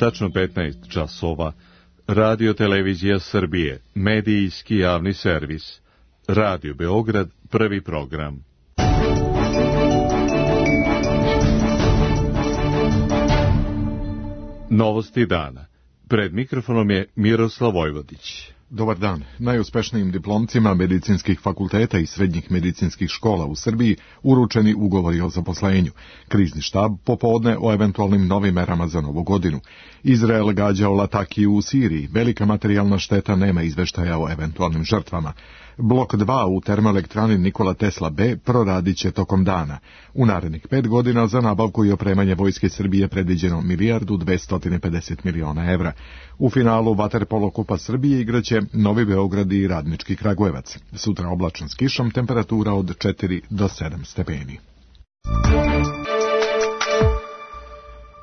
Tačno 15 časova. Radio Televizija Srbije, medijski javni servis. Radio Beograd, prvi program. Novosti dana. Pred mikrofonom je Miroslav Vojvodić. Dobar dan. Najuspešnijim diplomcima medicinskih fakulteta i srednjih medicinskih škola u Srbiji uručeni ugovori o zaposlenju. Krizni štab popodne o eventualnim novim merama za novu godinu. Izrael gađa o Latakiju u Siriji. Velika materijalna šteta, nema izveštaja o eventualnim žrtvama. Blok 2 u termoelektrani Nikola Tesla B proradit će tokom dana. U narednih 5 godina za nabavku i opremanje vojske Srbije predviđeno 1.250.000.000 evra. U finalu vaterpolo kupa Srbije igraće Novi Beograd i Radnički Kragujevac. Sutra oblačan s kišom, temperatura od 4 do 7 stepeni.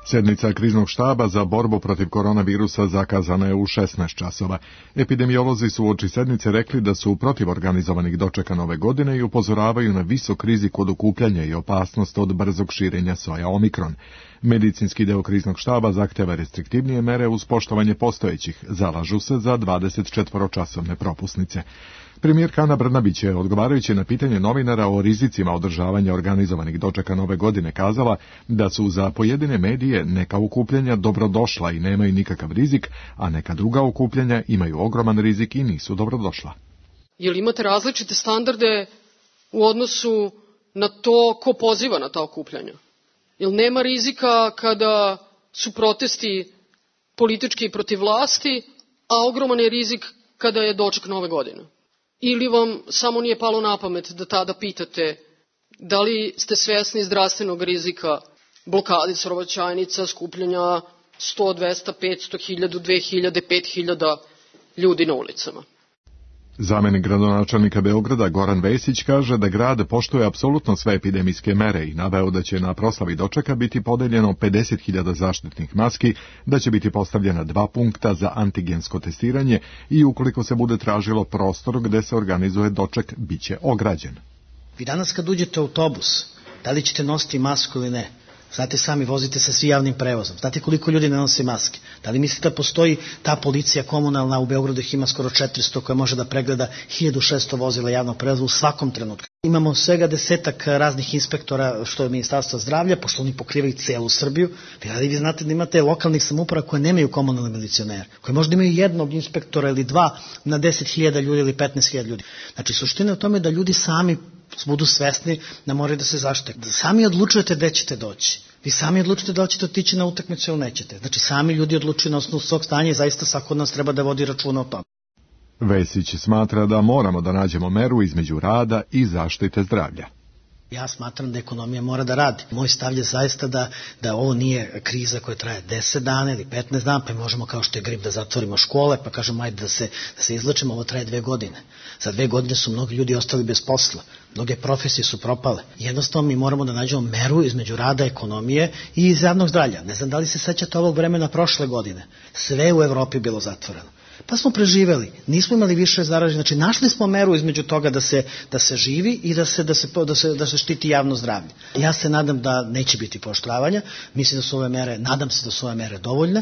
Sednica kriznog štaba za borbu protiv koronavirusa zakazana je u 16 časova. Epidemiolozi su uoči sednice rekli da su protiv organizovanih dočeka nove godine i upozoravaju na visok rizik od okupljanja i opasnost od brzog širenja soja Omikron. Medicinski deo kriznog štaba zahteva restriktivnije mere uz poštovanje postojećih, zalažu se za 24-časovne propusnice. Premijerka Ana Brnabić je, odgovarajući na pitanje novinara o rizicima održavanja organizovanih dočeka nove godine, kazala da su za pojedine medije neka okupljanja dobrodošla i nemaju nikakav rizik, a neka druga okupljanja imaju ogroman rizik i nisu dobrodošla. Jel imate različite standarde u odnosu na to ko poziva na ta okupljanja? Jel nema rizika kada su protesti politički protiv vlasti, a ogroman je rizik kada je doček nove godine? Ili vam samo nije palo na pamet da tada pitate da li ste svesni zdravstvenog rizika blokade saobraćajnica, skupljanja 100, 200, 500, 1000, 2000, 5000 ljudi na ulicama? Zamenik gradonačelnika Beograda Goran Vesić kaže da grad poštuje apsolutno sve epidemijske mere i naveo da će na proslavi dočeka biti podeljeno 50.000 zaštitnih maski, da će biti postavljena 2 punkta za antigensko testiranje i ukoliko se bude tražilo prostor gde se organizuje doček, bit će ograđen. Vi danas kad uđete u autobus, da li ćete nositi masku ili ne? Znate sami, vozite se svi javnim prevozom. Znate koliko ljudi ne nosi maske? Da li mislite da postoji ta policija komunalna, u Beogradu ih ima skoro 400, koja može da pregleda 1600 vozila javnog prevoza u svakom trenutku? Imamo svega 10 raznih inspektora, što je Ministarstvo zdravlja, pošto oni pokrivaju celu Srbiju. Vi znate da imate lokalnih samouprava koje nemaju komunalne milicionere, koje možda imaju jednog inspektora ili 2 na 10.000 ljudi ili 15.000 ljudi. Znači, suština je u tome da ljudi sami budu svesni da moraju da se zaštite. Da sami odlučujete gde ćete doći. Vi sami odlučite da li ćete otići na utakmicu ili nećete. Znači, sami ljudi odlučuju na osnovu svog stanja i zaista svako od nas treba da vodi računa o tome. Vesić smatra da moramo da nađemo meru između rada i zaštite zdravlja. Ja smatram da ekonomija mora da radi. Moj stav je zaista da ovo nije kriza koja traje 10 dana ili 15 dana, pa možemo kao što je grip da zatvorimo škole, pa kažemo ajde da se izlečimo, ovo traje 2 godine. Za 2 godine su mnogi ljudi ostali bez posla, mnoge profesije su propale. Jednostavno mi moramo da nađemo meru između rada, ekonomije i iz javnog zdravlja. Ne znam da li se sećate ovog vremena prošle godine. Sve u Evropi bilo zatvoreno. Pa smo preživeli, nismo imali više zaraženih, znači našli smo meru između toga da se živi i da se štiti javno zdravlje. Ja se nadam da neće biti pooštravanja, mislim da su ove mere, nadam se da su ove mere dovoljne.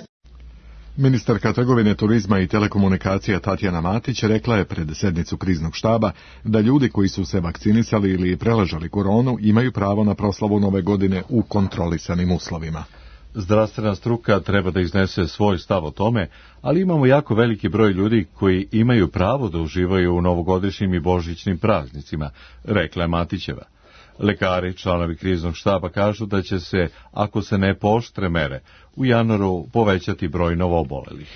Ministarka trgovine, turizma i telekomunikacija Tatjana Matić rekla je pred sednicu kriznog štaba da ljudi koji su se vakcinisali ili preležali koronu imaju pravo na proslavu nove godine u kontrolisanim uslovima. Zdravstvena struka treba da iznese svoj stav o tome, ali imamo jako veliki broj ljudi koji imaju pravo da uživaju u novogodišnjim i božićnim praznicima, rekla je Matićeva. Lekari, članovi kriznog štaba, kažu da će se, ako se ne pooštre mere, u januaru povećati broj novoobolelih.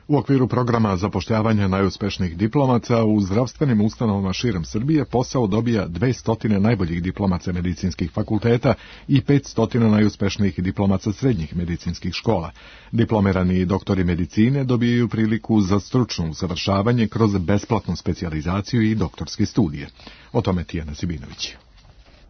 U okviru programa zapošljavanja najuspešnijih diplomaca u zdravstvenim ustanovama širom Srbije posao dobija 200 najboljih diplomaca medicinskih fakulteta i 500 najuspešnijih diplomaca srednjih medicinskih škola. Diplomirani doktori medicine dobijaju priliku za stručno usavršavanje kroz besplatnu specijalizaciju i doktorske studije. O tome Tijana Sibinović.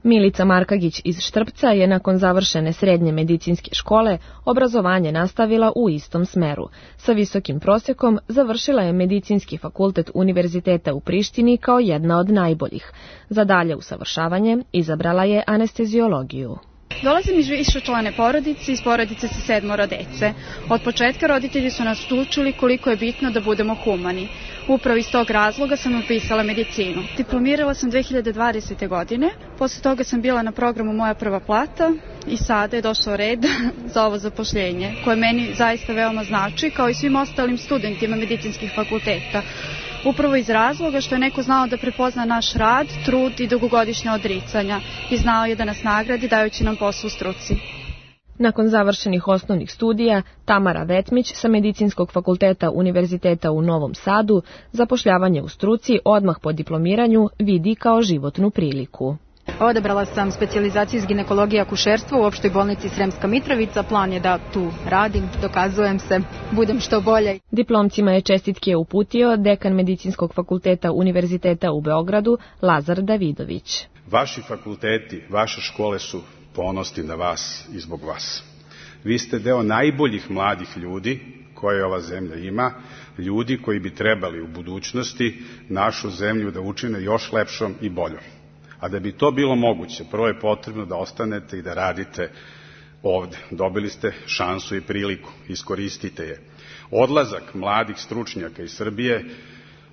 Milica Markagić iz Štrpca je nakon završene srednje medicinske škole obrazovanje nastavila u istom smeru. Sa visokim prosjekom završila je Medicinski fakultet Univerziteta u Prištini kao jedna od najboljih. Za dalje usavršavanje izabrala je anesteziologiju. Dolazim iz višečlane porodice, iz porodice sa 7 dece. Od početka roditelji su nas učili koliko je bitno da budemo humani. Upravo iz tog razloga sam upisala medicinu. Diplomirala sam 2020. godine, posle toga sam bila na programu Moja prva plata i sada je došao red za ovo zapošljenje, koje meni zaista veoma znači, kao i svim ostalim studentima medicinskih fakulteta. Upravo iz razloga što je neko znao da prepozna naš rad, trud i dugogodišnja odricanja i znao je da nas nagradi dajući nam posao u struci. Nakon završenih osnovnih studija, Tamara Vetmić sa Medicinskog fakulteta Univerziteta u Novom Sadu zapošljavanje u struci odmah po diplomiranju vidi kao životnu priliku. Odabrala sam specijalizaciju iz ginekologije i akušerstva u opštoj bolnici Sremska Mitrovica. Plan je da tu radim, dokazujem se, budem što bolje. Diplomcima je čestitke uputio dekan Medicinskog fakulteta Univerziteta u Beogradu, Lazar Davidović. Vaši fakulteti, vaše škole su ponosni na vas i zbog vas. Vi ste deo najboljih mladih ljudi koje ova zemlja ima, ljudi koji bi trebali u budućnosti našu zemlju da učine još lepšom i boljom. A da bi to bilo moguće, prvo je potrebno da ostanete i da radite ovde. Dobili ste šansu i priliku, iskoristite je. Odlazak mladih stručnjaka iz Srbije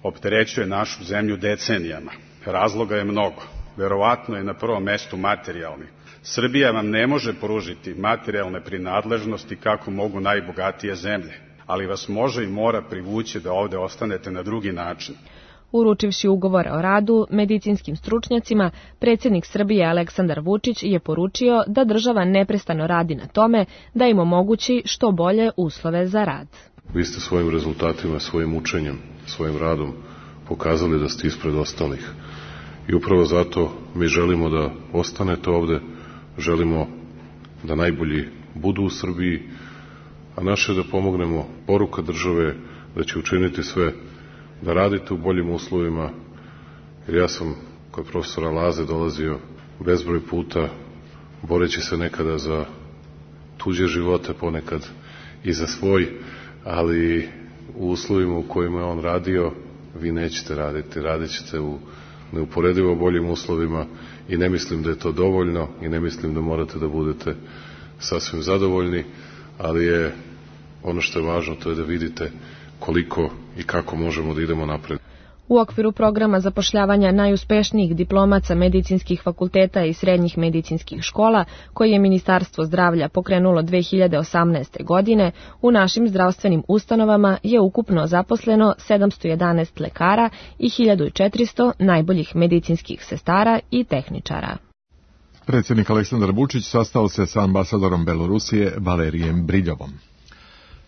opterećuje našu zemlju decenijama. Razloga je mnogo. Verovatno je na prvom mestu materijalni. Srbija vam ne može pružiti materijalne prinadležnosti kako mogu najbogatije zemlje, ali vas može i mora privući da ovde ostanete na drugi način. Uručivši ugovor o radu medicinskim stručnjacima, predsjednik Srbije Aleksandar Vučić je poručio da država neprestano radi na tome da im omogući što bolje uslove za rad. Vi ste svojim rezultatima, svojim učenjem, svojim radom pokazali da ste ispred ostalih. I upravo zato mi želimo da ostanete ovde, želimo da najbolji budu u Srbiji, a naše da pomognemo. Poruka države da će učiniti sve da radite u boljim uslovima, jer ja sam kod profesora Laze dolazio bezbroj puta, boreći se nekada za tuđe živote, ponekad i za svoj, ali u uslovima u kojima je on radio, vi nećete raditi, radit ćete u neuporedivo boljim uslovima i ne mislim da je to dovoljno i ne mislim da morate da budete sasvim zadovoljni, ali je ono što je važno, to je da vidite koliko i kako možemo da idemo napred. U okviru programa zapošljavanja najuspešnijih diplomaca medicinskih fakulteta i srednjih medicinskih škola, koje je Ministarstvo zdravlja pokrenulo 2018. godine, u našim zdravstvenim ustanovama je ukupno zaposleno 711 lekara i 1400 najboljih medicinskih sestara i tehničara. Predsjednik Aleksandar Vučić sastao se sa ambasadorom Belorusije Valerijem Briljovom.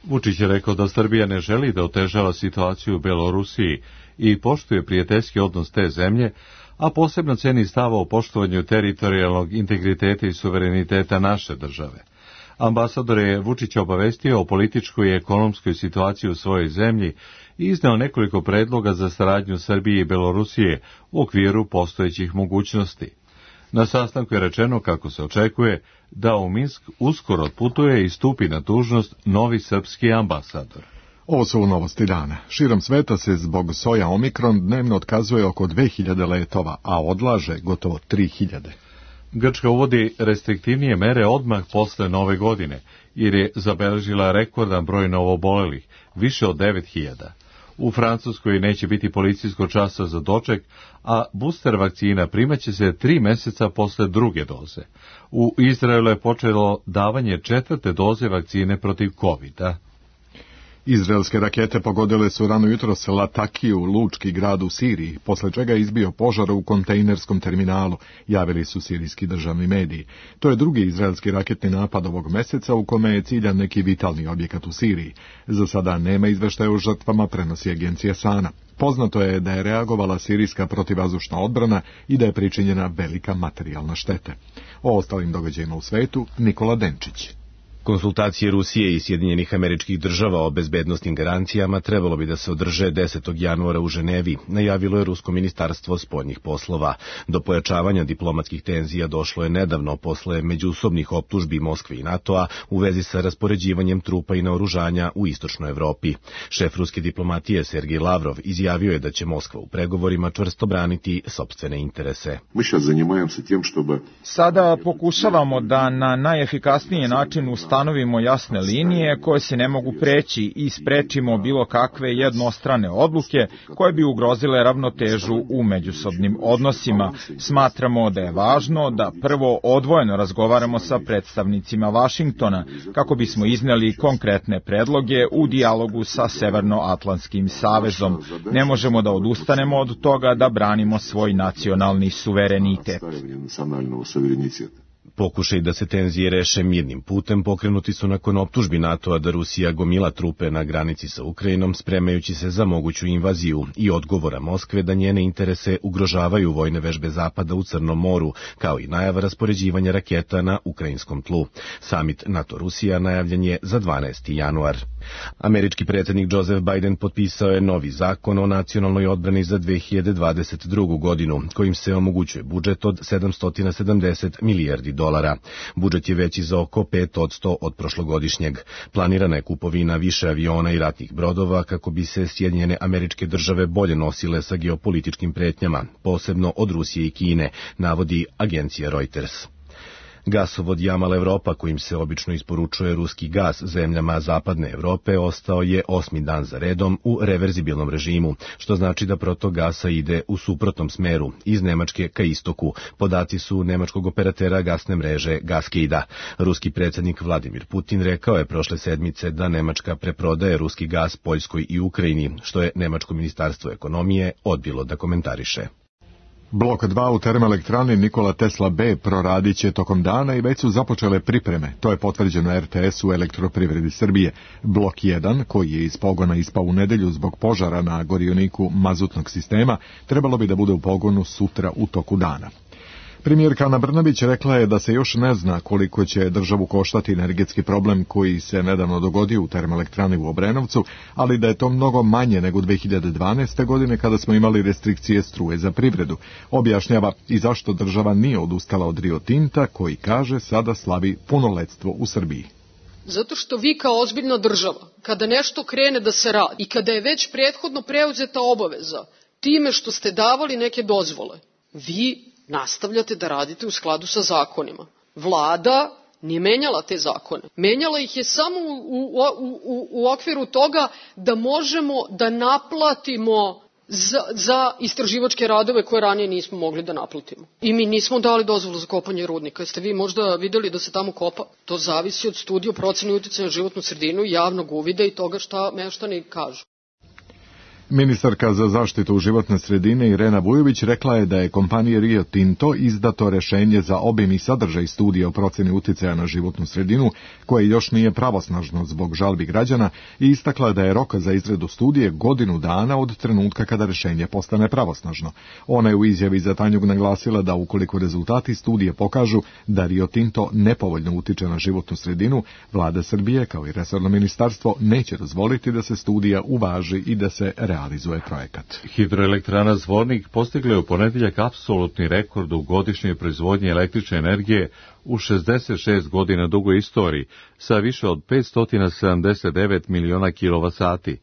Vučić je rekao da Srbija ne želi da otežava situaciju u Belorusiji i poštuje prijateljski odnos te zemlje, a posebno ceni stava o poštovanju teritorijalnog integriteta i suvereniteta naše države. Ambasador je Vučića obavestio o političkoj i ekonomskoj situaciji u svojoj zemlji i izneo nekoliko predloga za saradnju Srbije i Belorusije u okviru postojećih mogućnosti. Na sastanku je rečeno kako se očekuje da u Minsk uskoro otputuje i stupi na dužnost novi srpski ambasador. Ovo su novosti dana. Širom sveta se zbog soja Omikron dnevno otkazuje oko 2000 letova, a odlaže gotovo 3000. Grčka uvodi restriktivnije mere odmah posle nove godine, jer je zabeležila rekordan broj novoobolelih, više od 9000. U Francuskoj neće biti policijskog časa za doček, a booster vakcina primaće se 3 meseca posle druge doze. U Izraelu je počelo davanje 4. doze vakcine protiv COVID-a. Izraelske rakete pogodile su rano jutros Latakiju, lučki grad u Siriji, posle čega je izbio požar u kontejnerskom terminalu, javili su sirijski državni mediji. To je drugi izraelski raketni napad ovog meseca u kome je ciljan neki vitalni objekat u Siriji. Za sada nema izveštaja o žrtvama, prenosi agencija Sana. Poznato je da je reagovala sirijska protivvazdušna odbrana i da je pričinjena velika materijalna šteta. O ostalim događajima u svetu Nikola Denčić. Konsultacije Rusije i Sjedinjenih Američkih Država o bezbednosnim garancijama trebalo bi da se održe 10. januara u Ženevi, najavilo je Rusko ministarstvo spoljnih poslova. Do pojačavanja diplomatskih tenzija došlo je nedavno posle međusobnih optužbi Moskve i NATO-a u vezi sa raspoređivanjem trupa i naoružanja u istočnoj Evropi. Šef ruske diplomatije Sergej Lavrov izjavio je da će Moskva u pregovorima čvrsto braniti sopstvene interese. Sada pokušavamo da na najefikasniji način ustanovimo jasne linije koje se ne mogu preći i sprečimo bilo kakve jednostrane odluke koje bi ugrozile ravnotežu u međusobnim odnosima. Smatramo da je važno da prvo odvojeno razgovaramo sa predstavnicima Vašingtona kako bismo izneli konkretne predloge u dijalogu sa Severnoatlantskim savezom. Ne možemo da odustanemo od toga da branimo svoj nacionalni suverenitet. Pokušaj da se tenzije reše mirnim putem pokrenuti su nakon optužbi NATO-a da Rusija gomila trupe na granici sa Ukrajinom, spremajući se za moguću invaziju i odgovora Moskve da njene interese ugrožavaju vojne vežbe Zapada u Crnom moru, kao i najava raspoređivanja raketa na ukrajinskom tlu. Samit NATO-Rusija najavljen je za 12. januar. Američki predsjednik Joseph Biden potpisao je novi zakon o nacionalnoj odbrani za 2022. godinu, kojim se omogućuje budžet od $770 milijardi. Budžet je veći za oko 5% od prošlogodišnjeg. Planirana je kupovina više aviona i ratnih brodova kako bi se Sjedinjene Američke Države bolje nosile sa geopolitičkim pretnjama, posebno od Rusije i Kine, navodi agencija Reuters. Gasovod Jamal Evropa, kojim se obično isporučuje ruski gas zemljama zapadne Evrope, ostao je 8. dan za redom u reverzibilnom režimu, što znači da protok gasa ide u suprotnom smeru, iz Nemačke ka istoku. Podaci su nemačkog operatera gasne mreže Gaskida. Ruski predsjednik Vladimir Putin rekao je prošle sedmice da Nemačka preprodaje ruski gas Poljskoj i Ukrajini, što je Nemačko ministarstvo ekonomije odbilo da komentariše. Blok 2 u termoelektrani Nikola Tesla B proradit će tokom dana i već su započele pripreme. To je potvrđeno RTS-u Elektroprivredi Srbije. Blok 1, koji je iz pogona ispao u nedelju zbog požara na gorioniku mazutnog sistema, trebalo bi da bude u pogonu sutra u toku dana. Premijerka Ana Brnabić rekla je da se još ne zna koliko će državu koštati energetski problem koji se nedavno dogodio u termoelektrani u Obrenovcu, ali da je to mnogo manje nego 2012. godine kada smo imali restrikcije struje za privredu. Objašnjava i zašto država nije odustala od Rio Tinta, koji kaže sada slavi punoletstvo u Srbiji. Zato što vi kao ozbiljna država, kada nešto krene da se radi i kada je već prethodno preuzeta obaveza, time što ste davali neke dozvole, vi nastavljate da radite u skladu sa zakonima. Vlada nije menjala te zakone. Menjala ih je samo u okviru toga da možemo da naplatimo za istraživačke radove koje ranije nismo mogli da naplatimo. I mi nismo dali dozvolu za kopanje rudnika. Jeste vi možda videli da se tamo kopa? To zavisi od studije o proceni uticaja na životnu sredinu, javnog uvida i toga šta meštani kažu. Ministarka za zaštitu životne sredine Irena Vujović rekla je da je kompaniji Rio Tinto izdato rešenje za obim i sadržaj studije o proceni uticaja na životnu sredinu, koje još nije pravosnažno zbog žalbi građana, i istakla da je rok za izradu studije godinu dana od trenutka kada rešenje postane pravosnažno. Ona je u izjavi za Tanjug naglasila da ukoliko rezultati studije pokažu da Rio Tinto nepovoljno utiče na životnu sredinu, Vlada Srbije kao i resorno ministarstvo neće dozvoliti da se studija uvaži i da se realizuje projekat. Hidroelektrana Zvornik postigla je u ponedeljak apsolutni rekord u godišnjoj proizvodnji električne energije u 66 godina dugoj istoriji sa više od 579 miliona kilovat-sati.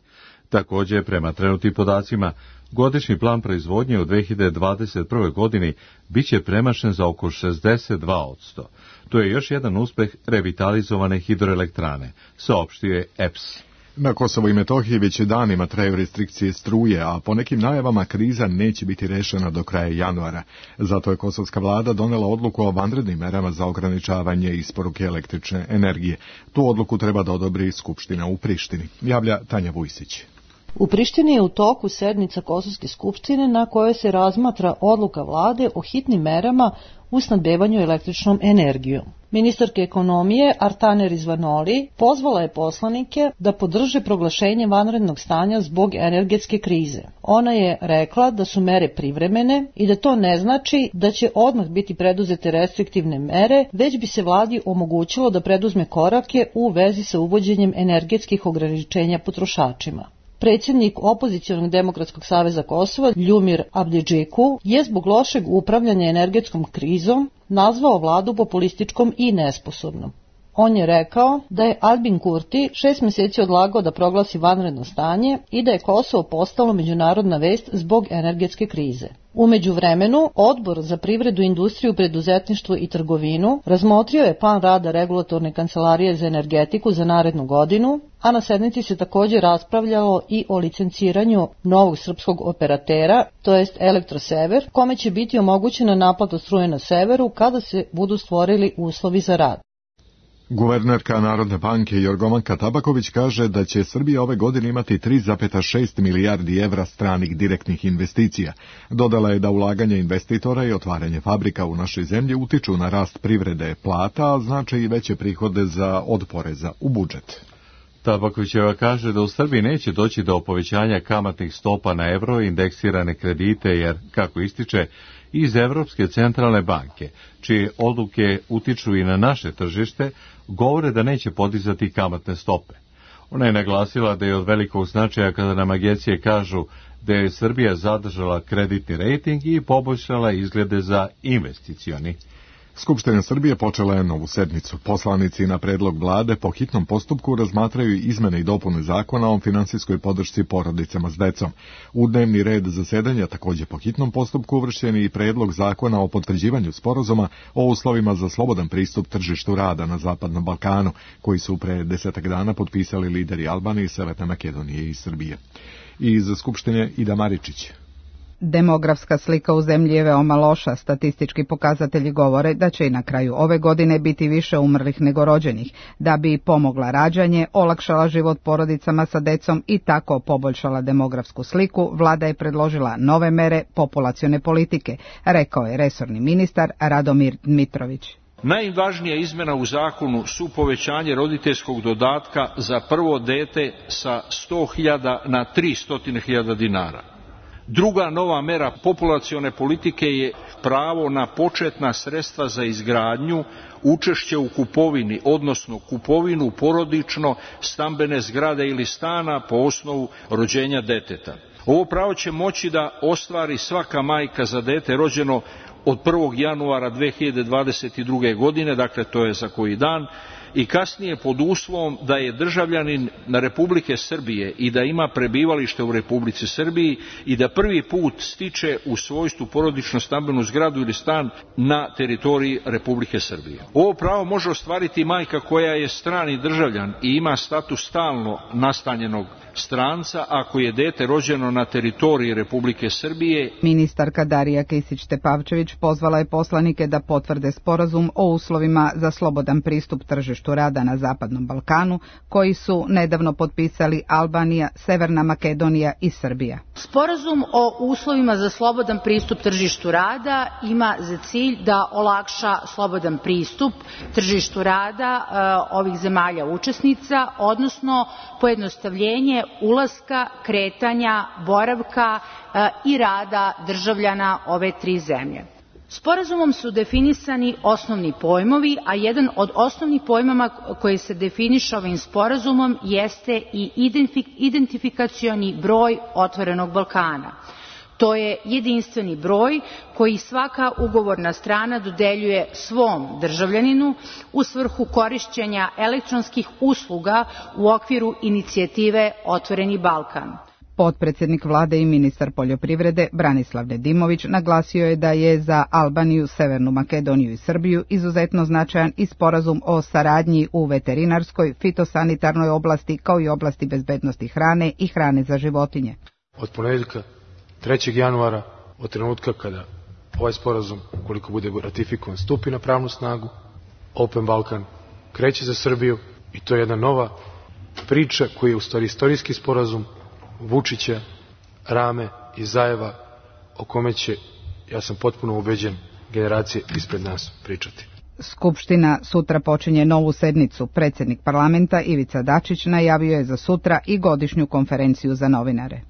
Također, prema trenutnim podacima, godišnji plan proizvodnje u 2021. godini biće premašen za oko 62%. To je još jedan uspeh revitalizovane hidroelektrane, saopštio je EPS. Na Kosovu i Metohiji već danima traju restrikcije struje, a po nekim najavama kriza neće biti rešena do kraja januara. Zato je kosovska vlada donela odluku o vanrednim merama za ograničavanje isporuke električne energije. Tu odluku treba da odobri Skupština u Prištini, javlja Tanja Vujsić. U Prištini je u toku sednica Kosovske skupštine na kojoj se razmatra odluka vlade o hitnim merama u snabdevanju električnom energijom. Ministarka ekonomije Artane Rizvanoli pozvala je poslanike da podrže proglašenje vanrednog stanja zbog energetske krize. Ona je rekla da su mere privremene i da to ne znači da će odmah biti preduzete restriktivne mere, već bi se vladi omogućilo da preduzme korake u vezi sa uvođenjem energetskih ograničenja potrošačima. Predsjednik Opozicionog demokratskog saveza Kosova, Ljumir Abdidžiku, je zbog lošeg upravljanja energetskom krizom nazvao vladu populističkom i nesposobnom. On je rekao da je Albin Kurti 6 mjeseci odlagao da proglasi vanredno stanje i da je Kosovo postalo međunarodna vest zbog energetske krize. U međuvremenu, Odbor za privredu, industriju, preduzetništvo i trgovinu razmotrio je plan rada Regulatorne kancelarije za energetiku za narednu godinu, a na sednici se također raspravljalo i o licenciranju novog srpskog operatera, to jest Elektrosever, kome će biti omogućena naplata struje na severu kada se budu stvorili uslovi za rad. Guvernerka Narodne banke Jorgovanka Tabaković kaže da će Srbija ove godine imati 3,6 milijardi evra stranih direktnih investicija. Dodala je da ulaganje investitora i otvaranje fabrika u našoj zemlji utiču na rast privrede plata, a znače i veće prihode od poreza u budžet. Tabakovićeva kaže da u Srbiji neće doći do povećanja kamatnih stopa na evro i indeksirane kredite, jer, kako ističe, iz Evropske centralne banke, čije odluke utiču i na naše tržište, govore da neće podizati kamatne stope. Ona je naglasila da je od velikog značaja kada nam agencije kažu da je Srbija zadržala kreditni rejting i poboljšala izglede za investicioni. Skupština Srbije počela je novu sednicu. Poslanici na predlog vlade po hitnom postupku razmatraju izmene i dopune zakona o finansijskoj podršci porodicama s decom. U dnevni red zasedanja također po hitnom postupku uvršćen je i predlog zakona o potvrđivanju sporazuma o uslovima za slobodan pristup tržištu rada na Zapadnom Balkanu, koji su pre 10 dana potpisali lideri Albanije, Severne Makedonije i Srbije. I iz Skupštine Ida Maričić. Demografska slika u zemlji je veoma loša. Statistički pokazatelji govore da će i na kraju ove godine biti više umrlih nego rođenih. Da bi pomogla rađanje, olakšala život porodicama sa decom i tako poboljšala demografsku sliku, vlada je predložila nove mere populacione politike, rekao je resorni ministar Radomir Dmitrović. Najvažnija izmena u zakonu su povećanje roditeljskog dodatka za prvo dete sa 100.000 na 300.000 dinara. Druga nova mera populacione politike je pravo na početna sredstva za izgradnju, učešće u kupovini, odnosno kupovinu porodično stambene zgrade ili stana po osnovu rođenja deteta. Ovo pravo će moći da ostvari svaka majka za dete rođeno od 1. januara 2022. godine, dakle to je za koji dan, i kasnije pod uslovom da je državljanin Republike Srbije i da ima prebivalište u Republici Srbiji i da prvi put stiče u svojstvu porodično stambenu zgradu ili stan na teritoriji Republike Srbije. Ovo pravo može ostvariti majka koja je strani državljan i ima status stalno nastanjenog stranca ako je dete rođeno na teritoriji Republike Srbije. Ministarka Darija Kisić-Tepavčević pozvala je poslanike da potvrde sporazum o uslovima za slobodan pristup tržištu rada na Zapadnom Balkanu, koji su nedavno potpisali Albanija, Severna Makedonija i Srbija. Sporazum o uslovima za slobodan pristup tržištu rada ima za cilj da olakša slobodan pristup tržištu rada ovih zemalja učesnica, odnosno pojednostavljenje ulaska, kretanja, boravka i rada državljana ove tri zemlje. Sporazumom su definisani osnovni pojmovi, a jedan od osnovnih pojmova koji se definiše ovim sporazumom jeste i identifikacioni broj Otvorenog Balkana. To je jedinstveni broj koji svaka ugovorna strana dodeljuje svom državljaninu u svrhu korišćenja elektronskih usluga u okviru inicijative Otvoreni Balkan. Potpredsjednik vlade i ministar poljoprivrede Branislav Nedimović naglasio je da je za Albaniju, Severnu Makedoniju i Srbiju izuzetno značajan i sporazum o saradnji u veterinarskoj, fitosanitarnoj oblasti kao i oblasti bezbednosti hrane i hrane za životinje. Od ponedjeljka 3. januara, od trenutka kada ovaj sporazum, koliko bude ratifikovan, stupi na pravnu snagu, Open Balkan kreće za Srbiju i to je jedna nova priča koja je u stvari istorijski sporazum Vučića, Rame i Zajeva, o kome će, ja sam potpuno ubeđen, generacije ispred nas pričati. Skupština sutra počinje novu sednicu. Predsjednik parlamenta Ivica Dačić najavio je za sutra i godišnju konferenciju za novinare.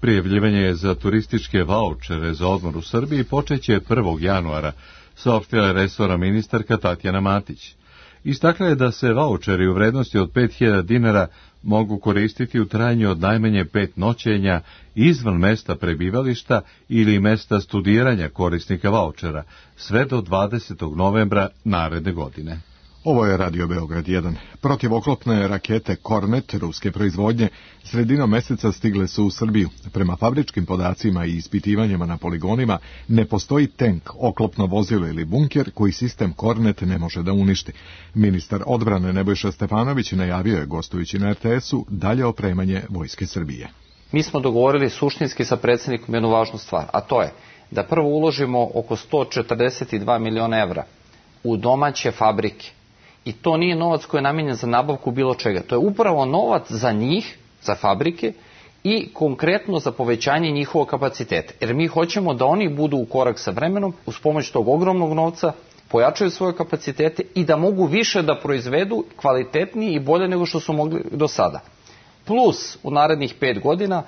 Prijavljivanje za turističke vaučere za odmor u Srbiji počeće 1. januara, saopštila je resorna ministarka Tatjana Matić. Istakla je da se vaučeri u vrednosti od 5.000 dinara mogu koristiti u trajanju od najmanje 5 noćenja izvan mesta prebivališta ili mesta studiranja korisnika vaučera, sve do 20. novembra naredne godine. Ovo je Radio Beograd 1. Protivoklopne rakete Kornet ruske proizvodnje sredinom meseca stigle su u Srbiju. Prema fabričkim podacima i ispitivanjima na poligonima ne postoji tank, oklopno vozilo ili bunker koji sistem Kornet ne može da uništi. Ministar odbrane Nebojša Stefanović najavio je, gostujući na RTS-u, dalje opremanje Vojske Srbije. Mi smo dogovorili suštinski sa predsjednikom jednu važnu stvar, a to je da prvo uložimo oko 142 miliona evra u domaće fabrike. I to nije novac koji je namijenjen za nabavku bilo čega. To je upravo novac za njih, za fabrike i konkretno za povećanje njihovog kapaciteta. Jer mi hoćemo da oni budu u korak sa vremenom, uz pomoć tog ogromnog novca, pojačaju svoje kapacitete i da mogu više da proizvedu kvalitetnije i bolje nego što su mogli do sada. Plus, u narednih 5 godina,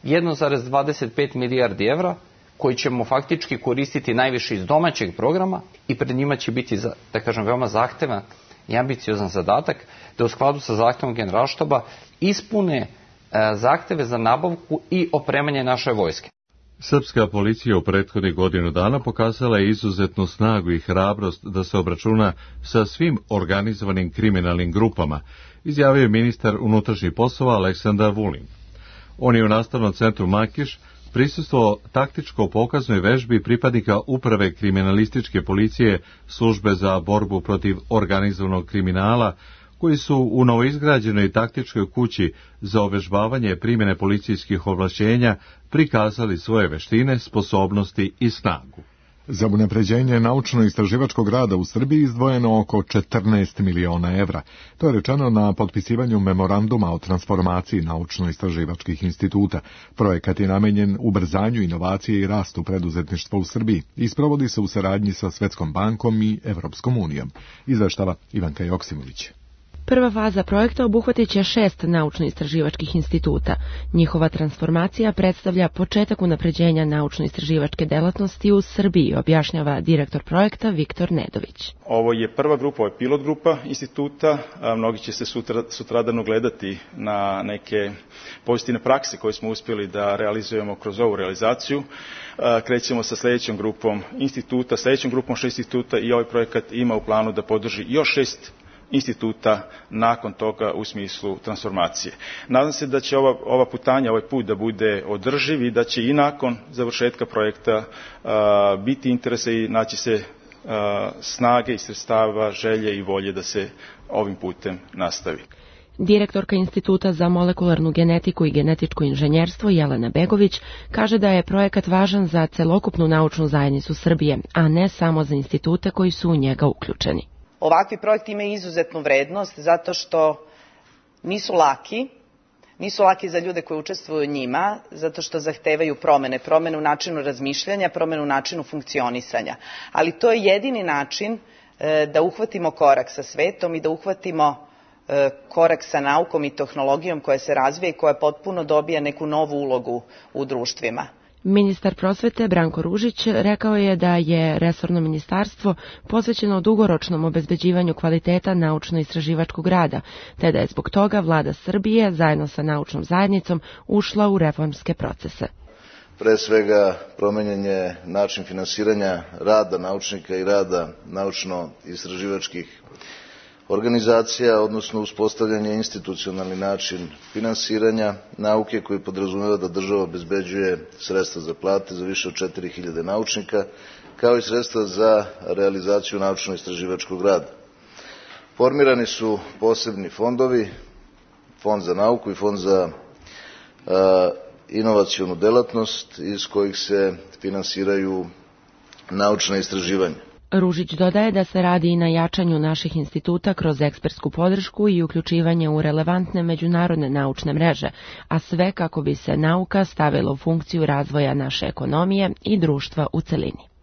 1,25 milijardi evra, koji ćemo faktički koristiti najviše iz domaćeg programa i pred njima će biti, da kažem, veoma zahtevan i ambiciozan zadatak da u skladu sa zahtevom Generalštaba ispune zahteve za nabavku i opremanje naše vojske. Srpska policija u prethodnih godinu dana pokazala je izuzetnu snagu i hrabrost da se obračuna sa svim organizovanim kriminalnim grupama, izjavio je ministar unutrašnjih poslova Aleksandar Vulin. On je u nastavnom centru Makiš prisustvovao taktičko pokaznoj vežbi pripadnika uprave kriminalističke policije službe za borbu protiv organizovanog kriminala, koji su u novoizgrađenoj taktičkoj kući za ovežbavanje primjene policijskih ovlašćenja prikazali svoje veštine, sposobnosti i snagu. Za unapređenje naučno-istraživačkog rada u Srbiji izdvojeno oko 14 miliona evra. To je rečeno na potpisivanju memoranduma o transformaciji naučno-istraživačkih instituta. Projekat je namenjen ubrzanju inovacije i rastu preduzetništva u Srbiji i sprovodi se u saradnji sa Svetskom bankom i Evropskom unijom. Izveštava Ivanka Joksimović. Prva faza projekta obuhvatit će 6 naučno-istraživačkih instituta. Njihova transformacija predstavlja početak unapređenja naučno-istraživačke delatnosti u Srbiji, objašnjava direktor projekta Viktor Nedović. Ovo je prva grupa, ovo je pilot grupa instituta. Mnogi će se sutradan ogledati na neke pozitivne prakse koje smo uspjeli da realizujemo kroz ovu realizaciju. Krećemo sa sljedećom grupom instituta, sljedećom grupom 6 instituta i ovaj projekat ima u planu da podrži još 6 instituta nakon toga u smislu transformacije. Nadam se da će ova putanja, ovaj put da bude održiv i da će i nakon završetka projekta biti interesa i naći se snage i sredstava, želje i volje da se ovim putem nastavi. Direktorka Instituta za molekularnu genetiku i genetičko inženjerstvo Jelena Begović kaže da je projekat važan za celokupnu naučnu zajednicu Srbije, a ne samo za institute koji su u njega uključeni. Ovakvi projekti imaju izuzetnu vrednost zato što nisu laki za ljude koji učestvuju u njima, zato što zahtevaju promene u načinu razmišljanja, promene u načinu funkcionisanja. Ali to je jedini način da uhvatimo korak sa svetom i da uhvatimo korak sa naukom i tehnologijom koja se razvija i koja potpuno dobija neku novu ulogu u društvima. Ministar prosvete Branko Ružić rekao je da je resorno ministarstvo posvećeno dugoročnom obezbeđivanju kvaliteta naučno-istraživačkog rada, te da je zbog toga vlada Srbije zajedno sa naučnom zajednicom ušla u reformske procese. Pre svega promenjen je način finansiranja rada naučnika i rada naučno-istraživačkih organizacija, odnosno uspostavljanje institucionalni način finansiranja nauke koji podrazumeva da država obezbeđuje sredstva za plate za više od 4.000 naučnika, kao i sredstva za realizaciju naučno-istraživačkog rada. Formirani su posebni fondovi, Fond za nauku i Fond za inovacionu delatnost, iz kojih se finansiraju naučna istraživanja. Ružić dodaje da se radi i na jačanju naših instituta kroz ekspertsku podršku i uključivanje u relevantne međunarodne naučne mreže, a sve kako bi se nauka stavila u funkciju razvoja naše ekonomije i društva u celini.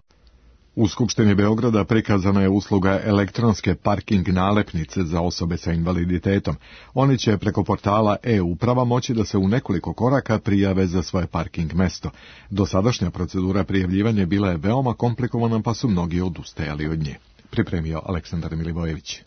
U Skupštini Beograda prikazana je usluga elektronske parking nalepnice za osobe sa invaliditetom. Oni će preko portala e-uprava moći da se u nekoliko koraka prijave za svoje parking mesto. Dosadašnja procedura prijavljivanja bila je veoma komplikovana, pa su mnogi odustajali od nje. Pripremio Aleksandar Milivojević.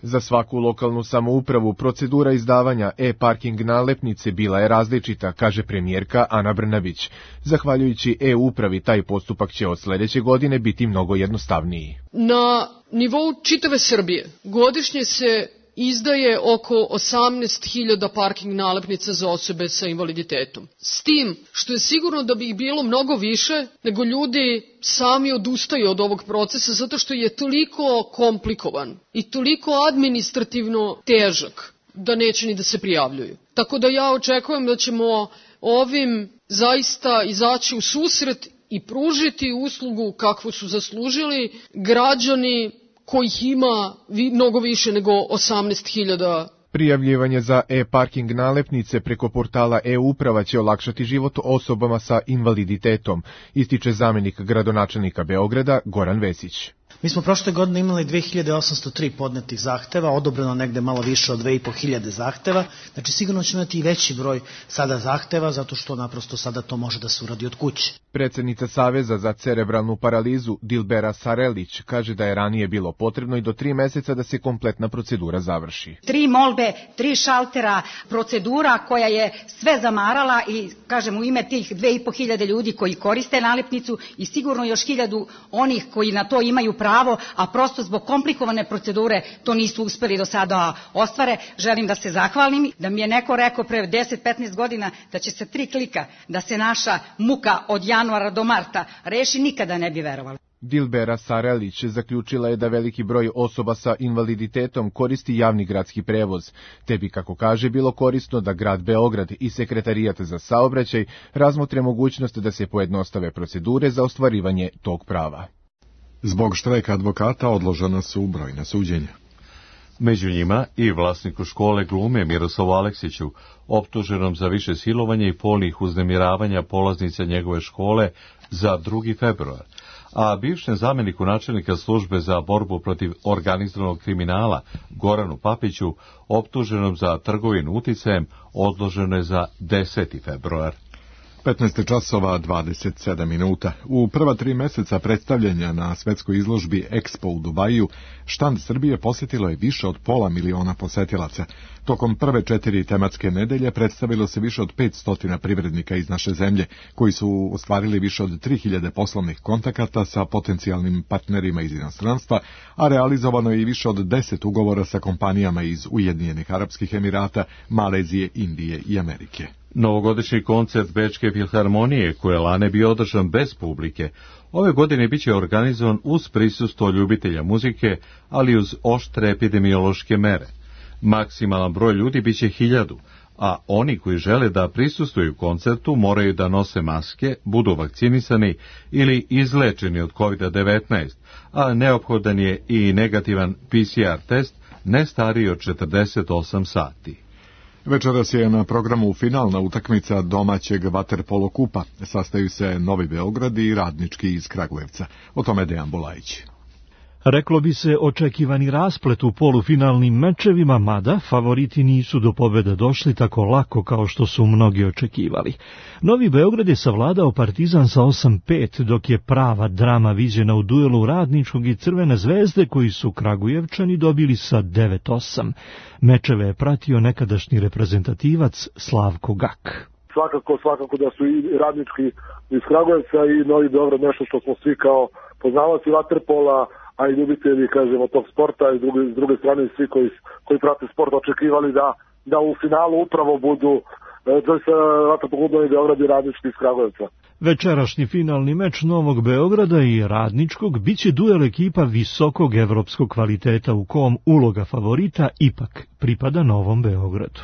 Za svaku lokalnu samoupravu procedura izdavanja e-parking nalepnice bila je različita, kaže premijerka Ana Brnabić. Zahvaljujući e-upravi, taj postupak će od sledeće godine biti mnogo jednostavniji. Na nivou čitave Srbije godišnje se izdaje oko 18.000 parking nalepnica za osobe sa invaliditetom. S tim što je sigurno da bi ih bilo mnogo više, nego ljudi sami odustaju od ovog procesa zato što je toliko komplikovan i toliko administrativno težak da neće ni da se prijavljuju. Tako da ja očekujem da ćemo ovim zaista izaći u susret i pružiti uslugu kakvu su zaslužili građani kojih ima mnogo više nego 18.000. Prijavljivanje za e-parking nalepnice preko portala e-uprava će olakšati život osobama sa invaliditetom, ističe zamenik gradonačelnika Beograda Goran Vesić. Mi smo prošle godine imali 2803 podnetih zahteva, odobreno negde malo više od 2500 zahteva, znači sigurno ćemo imati i veći broj sada zahteva, zato što naprosto sada to može da se uradi od kuće. Predsednica Saveza za cerebralnu paralizu Dilbera Sarelić kaže da je ranije bilo potrebno i do 3 meseca da se kompletna procedura završi. 3 molbe, 3 šaltera, procedura koja je sve zamarala i kažem u ime tih 2500 ljudi koji koriste nalepnicu i sigurno još 1000 onih koji na to imaju pravo, a prosto zbog komplikovane procedure to nisu uspeli do sada ostvare. Želim da se zahvalim, da mi je neko rekao pre 10-15 godina da će se 3 klika da se naša muka od januara do marta reši, nikada ne bi verovali. Dilbera Sarelić zaključila je da veliki broj osoba sa invaliditetom koristi javni gradski prevoz, te bi, kako kaže, bilo korisno da grad Beograd i Sekretarijat za saobraćaj razmotre mogućnost da se pojednostave procedure za ostvarivanje tog prava. Zbog štrajka advokata odložena su brojna suđenja. Među njima i vlasniku škole glume Miroslavu Aleksiću, optuženom za više silovanja i polnih uznemiravanja polaznica njegove škole za 2. februar, a bivšem zameniku načelnika službe za borbu protiv organizovanog kriminala Goranu Papiću, optuženom za trgovinu uticajem, odloženo je za 10. februar. 15 časova 27 minuta. U prva 3 meseca predstavljanja na svetskoj izložbi Expo u Dubaju, štand Srbije posjetilo je više od 500.000 posetilaca. Tokom prve 4 tematske nedelje predstavilo se više od 500 privrednika iz naše zemlje, koji su ostvarili više od 3000 poslovnih kontakata sa potencijalnim partnerima iz inostranstva, a realizovano je i više od 10 ugovora sa kompanijama iz Ujedinjenih Arapskih Emirata, Malezije, Indije i Amerike. Novogodišnji koncert Bečke filharmonije, koji je lane bio održan bez publike, ove godine biće organizovan uz prisustvo ljubitelja muzike, ali uz oštre epidemiološke mere. Maksimalan broj ljudi biće 1000, a oni koji žele da prisustvuju koncertu moraju da nose maske, budu vakcinisani ili izlečeni od COVID-19, a neophodan je i negativan PCR test ne stariji od 48 sati. Večeras je na programu finalna utakmica domaćeg vaterpolo kupa. Sastaju se Novi Beograd i Radnički iz Kragujevca. O tome Dejan Bulajić. Reklo bi se očekivani rasplet u polufinalnim mečevima, mada favoriti nisu do pobjede došli tako lako kao što su mnogi očekivali. Novi Beograd je savladao Partizan sa 8-5, dok je prava drama viđena u duelu Radničkog i Crvene zvezde, koji su Kragujevčani dobili sa 9-8. Mečeve je pratio nekadašnji reprezentativac Slavko Gak. Svakako da su i Radnički iz Kragujevca i Novi Beograd nešto što smo svi kao poznavaoci vaterpola, a i ljubitelji, kažemo, tog sporta, i s druge strane svi koji prate sport očekivali da u finalu upravo budu vaterpolo Novi Beograd i Radnički iz Kragujevca. Večerašnji finalni meč Novog Beograda i Radničkog biće duel ekipa visokog evropskog kvaliteta u kom uloga favorita ipak pripada Novom Beogradu.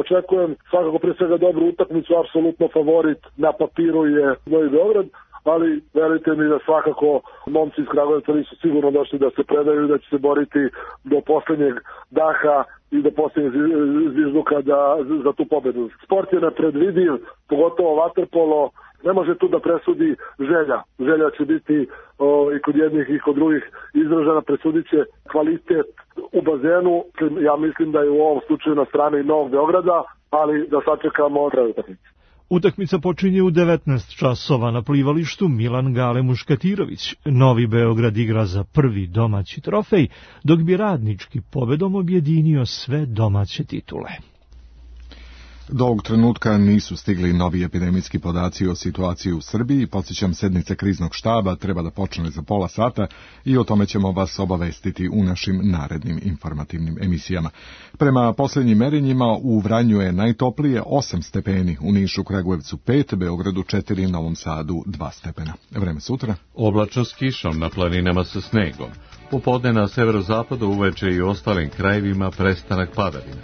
Očekujem svakako prije svega dobru utakmicu, apsolutno favorit na papiru je Novi Beograd, ali verujte mi da svakako momci iz Kragujevca nisu sigurno došli da se predaju i da će se boriti do poslednjeg daha i do poslednjeg zvižduka za tu pobedu. Sport je nepredvidiv, pogotovo vaterpolo, ne može tu da presudi želja. Želja će biti i kod jednih i kod drugih izražena, presudit će kvalitet u bazenu. Ja mislim da je u ovom slučaju na strani Novog Beograda, ali da sačekamo kraj utakmice. Utakmica počinje u 19 časova na plivalištu Milan Gale Muškatirović. Novi Beograd igra za prvi domaći trofej, dok bi Radnički pobedom objedinio sve domaće titule. Do ovog trenutka nisu stigli novi epidemijski podaci o situaciji u Srbiji. Podsjećam, sednica kriznog štaba treba da počne za pola sata i o tome ćemo vas obavestiti u našim narednim informativnim emisijama. Prema posljednjim merenjima u Vranju je najtoplije 8 stepeni, u Nišu, Kragujevcu 5, Beogradu 4, Novom Sadu 2 stepena. Vreme sutra? Oblačno s kišom, na planinama sa snegom. Popodne na severozapadu, uveče i ostalim krajevima prestanak padavina.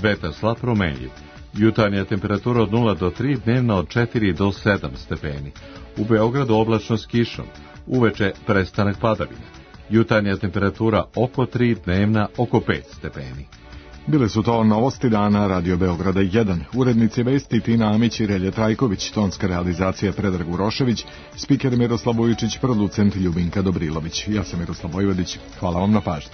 Vetar slab promenljiv. Jutarnja temperatura od 0 do 3, dnevna od 4 do 7 stepeni. U Beogradu oblačno s kišom, uveče prestanak padavina. Jutarnja temperatura oko 3, dnevna oko 5 stepeni. Bile su to novosti dana Radio Beograda 1. Urednici vesti Tina Amić i Relje Trajković, tonska realizacija Predrag Urošević, spiker Miroslav Vujičić, producent Ljubinka Dobrilović. Ja sam Miroslav Vojvodić. Hvala vam na pažnji.